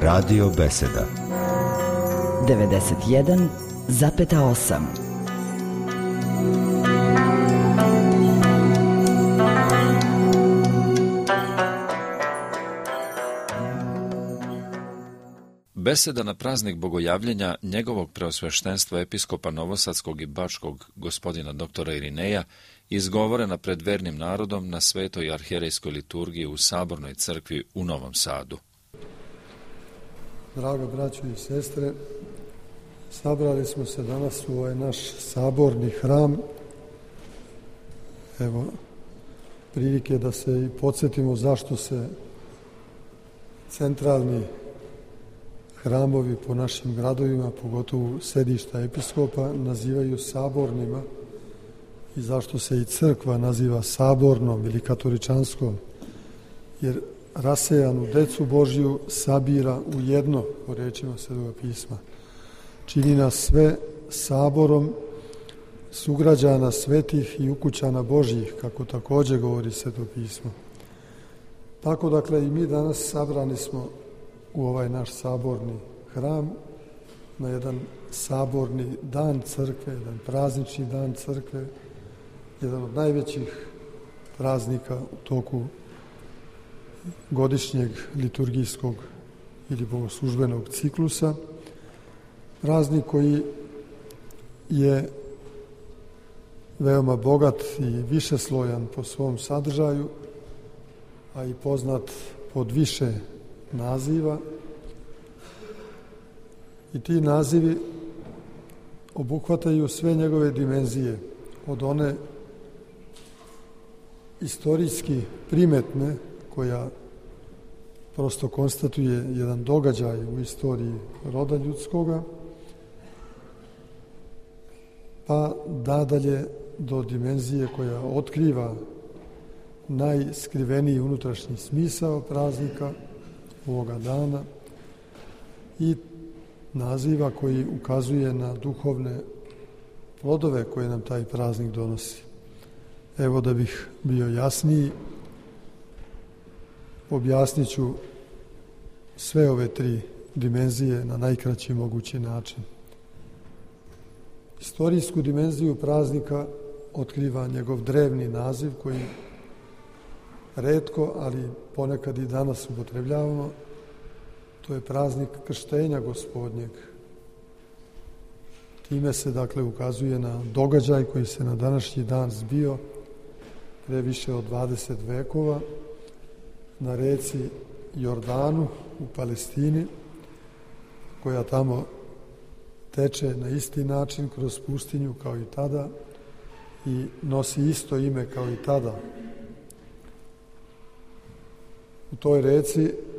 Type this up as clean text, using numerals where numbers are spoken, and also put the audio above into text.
Radio Beseda 91,8. Beseda na praznik bogojavljenja njegovog preosveštenstva episkopa Novosadskog i Bačkog gospodina doktora Irineja izgovorena pred vernim narodom na svetoj arhijerejskoj liturgiji u Sabornoj crkvi u Novom Sadu. Draga braćo i sestre, sabrali smo se danas u ovaj naš saborni hram. Evo, prilike da se i podsjetimo zašto se centralni hramovi po našim gradovima, pogotovo sedišta episkopa, nazivaju sabornima i zašto se i crkva naziva sabornom ili katoličanskom, jer rasejanu decu Božju sabira u jedno, po rečima Svetoga pisma. Čini nas sve saborom sugrađana svetih i ukućana Božjih, kako također govori Sveto pismo. Tako, dakle, i mi danas sabrani smo u ovaj naš saborni hram na jedan saborni dan crkve, jedan praznični dan crkve, jedan od najvećih praznika u toku godišnjeg liturgijskog ili bogoslužbenog ciklusa. Praznik koji je veoma bogat i višeslojan po svom sadržaju, a i poznat pod više naziva. I ti nazivi obuhvataju sve njegove dimenzije, od one istorijski primetne, koja prosto konstatuje jedan događaj u istoriji roda ljudskoga, pa nadalje do dimenzije koja otkriva najskriveniji unutrašnji smisao praznika ovoga dana i naziva koji ukazuje na duhovne plodove koje nam taj praznik donosi. Evo, da bih bio jasniji, objasnit ću sve ove tri dimenzije na najkraći mogući način. Istorijsku dimenziju praznika otkriva njegov drevni naziv koji retko, ali ponekad i danas upotrebljavamo. To je praznik krštenja Gospodnjeg. Time se, dakle, ukazuje na događaj koji se na današnji dan zbio pre više od 20 vekova na reci Jordanu u Palestini, koja tamo teče na isti način kroz pustinju kao i tada i nosi isto ime kao i tada. U toj reci